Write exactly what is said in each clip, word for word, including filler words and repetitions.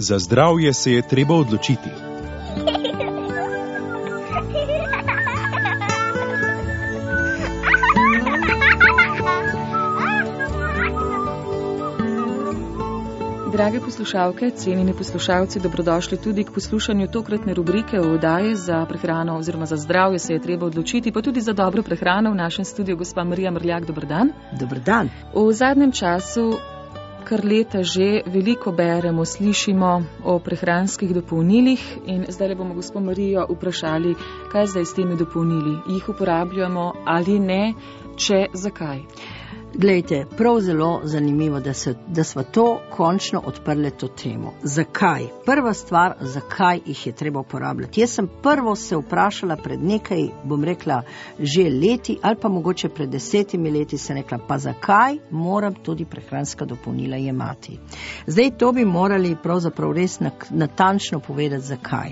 Za zdravje se je treba odločiti. Drage poslušalke, cenjeni poslušalci, dobrodošli tudi k poslušanju tokratne rubrike v oddaji Za prehrano oziroma za zdravje se je treba odločiti, pa tudi za dobro prehrano. V našem studiu gospa Marija Mrljak, dober dan. Dober dan. V zadnjem času, kar leta že, veliko beremo, slišimo o prehranskih dopolnilih in zdaj bomo gospo Marijo vprašali, kaj zdaj s temi dopolnili. Jih uporabljamo ali ne, če zakaj? Glejte, prav zelo zanimivo, da, se, da smo to končno odprli to temo. Zakaj? Prva stvar, zakaj jih je treba uporabljati. Jaz sem prvo se vprašala pred nekaj, bom rekla, že leti ali pa mogoče pred desetimi leti se rekla, pa zakaj moram tudi prehranska dopolnila jemati. Zdaj to bi morali pravzaprav res natančno povedati, zakaj.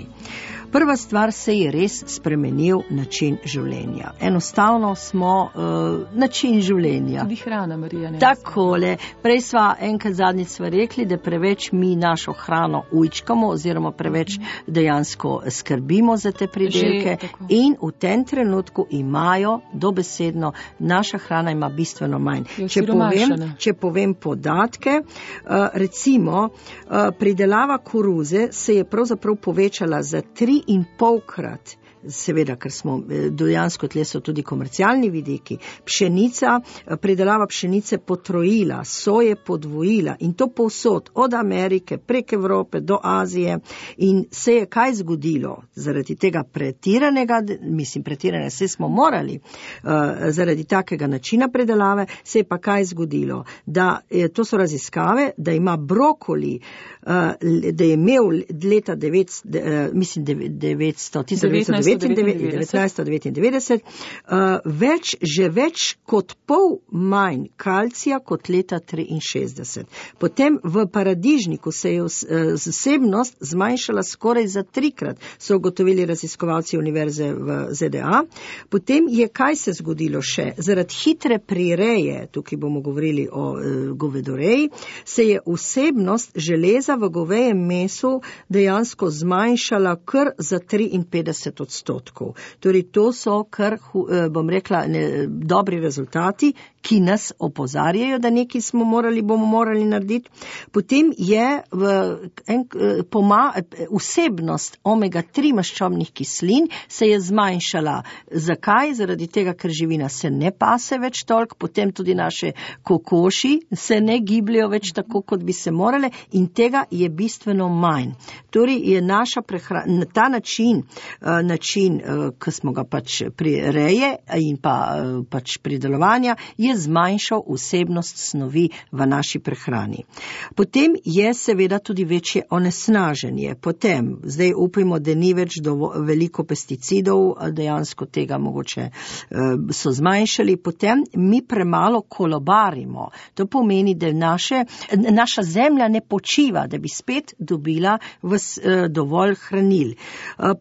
Prva stvar, se je res spremenil način življenja. Enostavno smo uh, način življenja. Tudi hrana, Marija. Ne Takole. Prej sva enkrat zadnjič sva rekli, da preveč mi našo hrano ujčkamo oziroma preveč uh-huh. dejansko skrbimo za te pridelke. Že, in v tem trenutku imajo dobesedno, naša hrana ima bistveno manj. Če povem, če povem podatke, uh, recimo uh, pridelava koruze se je pravzaprav povečala za tri in polkrat, seveda, ker smo dejansko tle so tudi komercialni vidiki, pšenica, pridelava pšenice potrojila, soje podvojila in to povsod, od Amerike prek Evrope do Azije in se je kaj zgodilo zaradi tega pretiranega, mislim pretiranega, se smo morali uh, zaradi takega načina predelave, se je pa kaj zgodilo, da to so raziskave, da ima brokoli, uh, da je imel leta devetsto, uh, mislim devetsto, devetnajststo devetindevetdeset uh, več, že več kot pol manj kalcija kot leta triinšestdeset. Potem v paradižniku se je vsebnost zmanjšala skoraj za trikrat, so ugotovili raziskovalci univerze v Z D A. Potem je kaj se zgodilo še? Zaradi hitre prireje, tukaj bomo govorili o uh, govedoreji, se je vsebnost železa v govejem mesu dejansko zmanjšala kar za triinpetdeset odstotkov. Torej, to so kar, bom rekla, ne, dobri rezultati, ki nas opozarjajo, da nekaj smo morali, bomo morali narediti. Potem je v, en, poma, vsebnost omega tri maščobnih kislin se je zmanjšala. Zakaj? Zaradi tega, ker živina se ne pase več toliko, potem tudi naše kokoši se ne gibljajo več tako, kot bi se morale in tega je bistveno manj. Torej, je naša prehrana, ta način, način, ki smo ga pač prireje in pa pač pridelovanja, je zmanjšal vsebnost snovi v naši prehrani. Potem je seveda tudi večje onesnaženje. Potem, zdaj upajmo, da ni več dovo, veliko pesticidov, dejansko tega mogoče so zmanjšali. Potem mi premalo kolobarimo. To pomeni, da naše, naša zemlja ne počiva, da bi spet dobila v, dovolj hranil.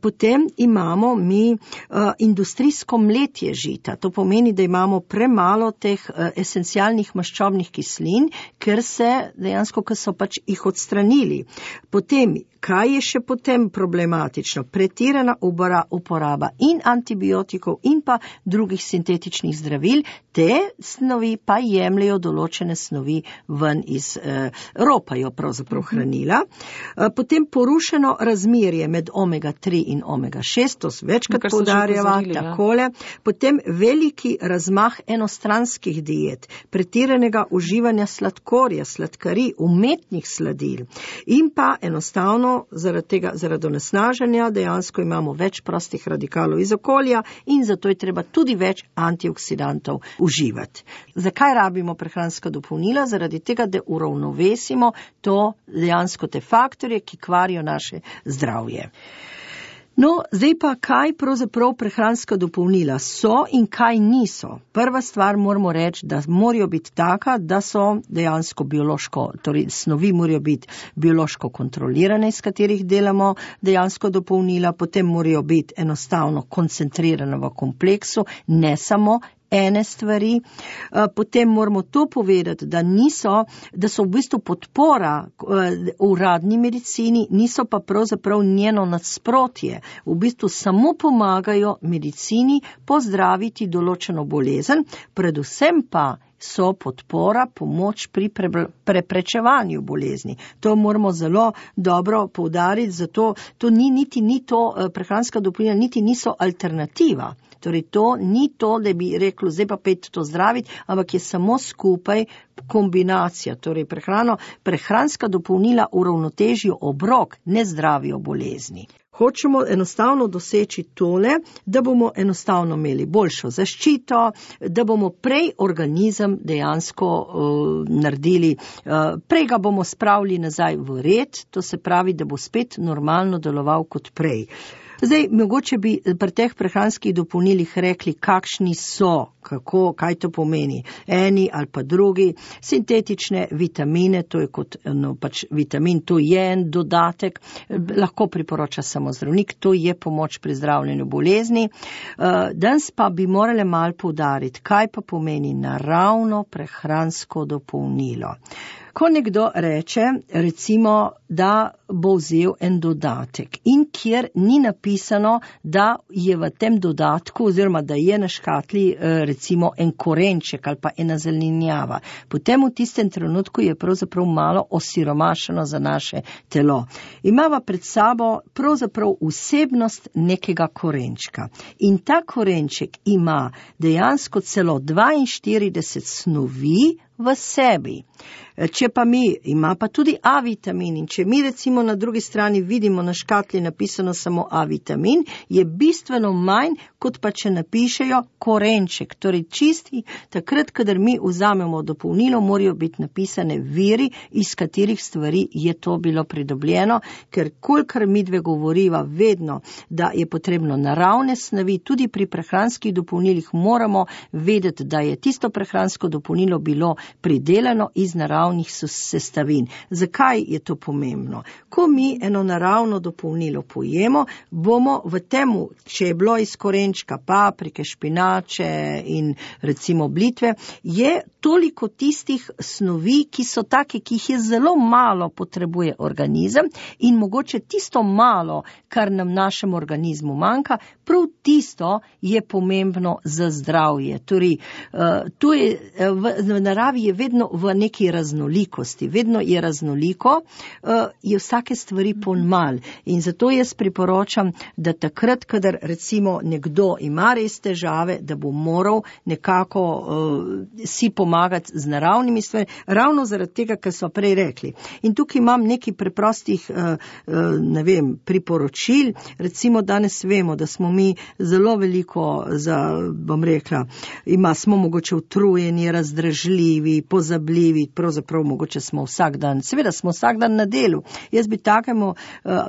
Potem imamo mi uh, industrijsko mletje žita. To pomeni, da imamo premalo teh uh, esencialnih maščobnih kislin, ker se dejansko, ker so pač jih odstranili. Potem, kaj je še potem problematično? Pretirana uporaba in antibiotikov in pa drugih sintetičnih zdravil, te snovi pa jemljajo določene snovi ven iz eh, ropajo pravzaprav hranila. Eh, potem porušeno razmerje med omega tri in omega šest, to večkrat poudarjava, takole. Potem veliki razmah enostranskih diet, pretiranega uživanja sladkorja, sladkarij, umetnih sladil in pa enostavno zaradi tega, zaradi onesnaženja dejansko imamo več prostih radikalov iz okolja in zato je treba tudi več antioksidantov uživati. Zakaj rabimo prehranska dopolnila? Zaradi tega, da uravnovesimo to dejansko te faktorje, ki kvarijo naše zdravje. No, zdaj pa kaj pravzaprav prehranska dopolnila so in kaj niso. Prva stvar moramo reči, da morajo biti taka, da so dejansko biološko, torej snovi morajo biti biološko kontrolirane, iz katerih delamo dejansko dopolnila, potem morajo biti enostavno koncentrirane v kompleksu, ne samo ene stvari. Potem moramo to povedati, da niso, da so v bistvu podpora uradni medicini, niso pa pravzaprav njeno nasprotje. V bistvu samo pomagajo medicini pozdraviti določeno bolezen, predvsem pa so podpora, pomoč pri pre, preprečevanju bolezni. To moramo zelo dobro poudariti, zato to ni niti ni to, prehranska dopolnila niti niso alternativa. Torej to ni to, da bi reklo, zdaj pa pet to zdraviti, ampak je samo skupaj kombinacija. Torej prehrano, prehranska dopolnila uravnotežijo obrok, ne zdravijo bolezni. Hočemo enostavno doseči tole, da bomo enostavno imeli boljšo zaščito, da bomo prej organizem dejansko uh, naredili, uh, prej ga bomo spravili nazaj v red, to se pravi, da bo spet normalno deloval kot prej. Zdaj, mogoče bi pri teh prehranskih dopolnilih rekli, kakšni so, kako, kaj to pomeni. Eni ali pa drugi, sintetične vitamine, to je kot no, pač vitamin, to je en dodatek, lahko priporoča samo zdravnik, to je pomoč pri zdravljenju bolezni. Danes pa bi morali malo poudariti, kaj pa pomeni naravno prehransko dopolnilo. Ko nekdo reče, recimo, da bo vzel en dodatek in kjer ni napisano, da je v tem dodatku oziroma da je na škatli recimo en korenček ali pa ena zelenjava, potem v tistem trenutku je pravzaprav malo osiromašeno za naše telo. Imava pred sabo pravzaprav vsebnost nekega korenčka in ta korenček ima dejansko celo dvainštirideset snovi v sebi. Če pa mi, ima pa tudi A vitamin in če mi recimo na drugi strani vidimo na škatli napisano samo A vitamin, je bistveno manj, kot pa če napišejo korenček. Torej čisti, takrat, kadar mi vzamemo dopolnilo, morajo biti napisane viri, iz katerih stvari je to bilo pridobljeno, ker kolikor mi dve govoriva vedno, da je potrebno naravne snovi, tudi pri prehranskih dopolnilih moramo vedeti, da je tisto prehransko dopolnilo bilo pridelano iz naravnih sestavin. Zakaj je to pomembno? Ko mi eno naravno dopolnilo pojemo, bomo v temu, če je bilo iz korenčka, paprike, špinače in recimo blitve, je toliko tistih snovi, ki so take, ki jih je zelo malo potrebuje organizem in mogoče tisto malo, kar nam našem organizmu manjka, prav tisto je pomembno za zdravje. Torej, to je, v, v naravi je vedno v neki raznolikosti, vedno je raznoliko, je vsake stvari ponmal. In zato jaz priporočam, da takrat, kadar recimo nekdo ima res težave, da bo moral nekako uh, si pomagati z naravnimi stvari, ravno zaradi tega, kar smo prej rekli. In tukaj imam nekaj preprostih, uh, uh, ne vem, priporočil. Recimo danes vemo, da smo mi zelo veliko, za, bom rekla, ima, smo mogoče utrujeni, razdražljivi, pozabljivi, pravzaprav mogoče smo vsak dan, seveda smo vsak dan na delu. Jaz bi takemu uh,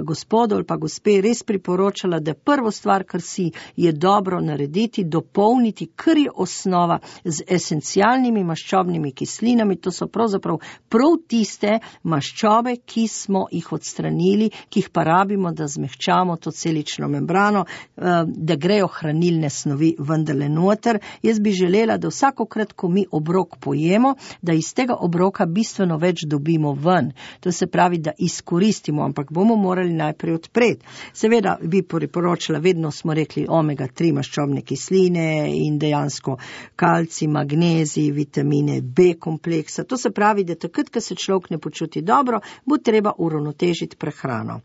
gospodu ali pa gospe res priporočala, da prvo stvar, kar si je dobro narediti, dopolniti, kar je osnova z esencialnimi maščobnimi kislinami, to so pravzaprav prav tiste maščobe, ki smo jih odstranili, ki jih pa rabimo, da zmehčamo to celično membrano, uh, da grejo hranilne snovi vendarle noter. Jaz bi želela, da vsakokrat, ko mi obrok pojemo, da iz tega obroka bistveno več dobimo ven. To se pravi, da izkoristimo, ampak bomo morali najprej odpreti. Seveda bi priporočila, vedno smo rekli omega tri maščobne kisline in dejansko kalcij, magnezij, vitamine B kompleksa. To se pravi, da takrat, ko se človek ne počuti dobro, bo treba uravnotežiti prehrano.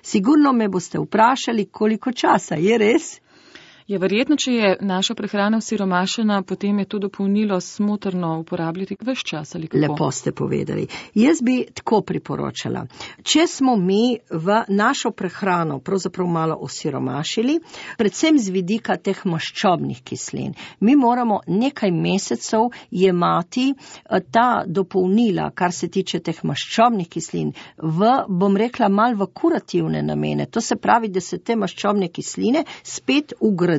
Sigurno me boste vprašali, koliko časa, je res? Je verjetno, če je naša prehrana osiromašena, potem je to dopolnilo smotrno uporabljati ves čas ali kako? Lepo ste povedali. Jaz bi tako priporočala. Če smo mi v našo prehrano pravzaprav malo osiromašili, predvsem z vidika teh maščobnih kislin, mi moramo nekaj mesecev jemati ta dopolnila, kar se tiče teh maščobnih kislin, v, bom rekla, mal v kurativne namene. To se pravi, da se te maščobne kisline spet ugradijo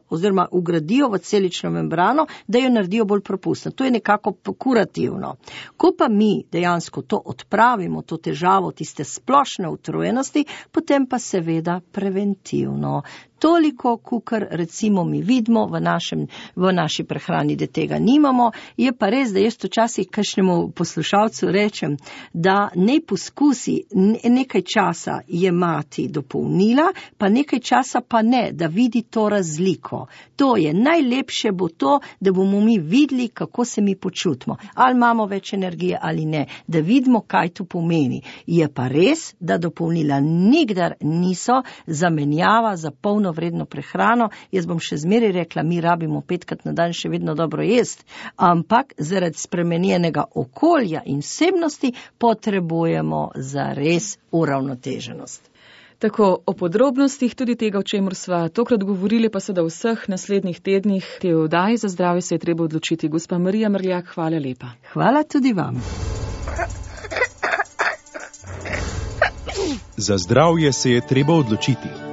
oziroma ugradijo v celično membrano, da jo naredijo bolj propustno. To je nekako kurativno. Ko pa mi dejansko to odpravimo, to težavo, tiste splošne utrujenosti, potem pa seveda preventivno. toliko, kukar recimo mi vidimo v, našem, v naši prehrani, da tega nimamo. Je pa res, da jaz včasih kakšnemu poslušalcu rečem, da ne poskusi nekaj časa jemati dopolnila, pa nekaj časa pa ne, da vidi to razliko. To je najlepše bo to, da bomo mi videli, kako se mi počutimo. Ali imamo več energije ali ne, da vidimo, kaj to pomeni. Je pa res, da dopolnila nikdar niso zamenjava za polnovredno prehrano. Jaz bom še zmeraj rekla, mi rabimo petkrat na dan še vedno dobro jest, ampak zaradi spremenjenega okolja in vsebnosti potrebujemo za res uravnoteženost. Tako o podrobnostih tudi tega, o čemer sva tokrat govorili, pa seveda v vseh naslednjih tednih te oddaji Za zdravje se je treba odločiti. Gospa Marija Mrljak, hvala lepa. Hvala tudi vam. Za zdravje se je treba odločiti.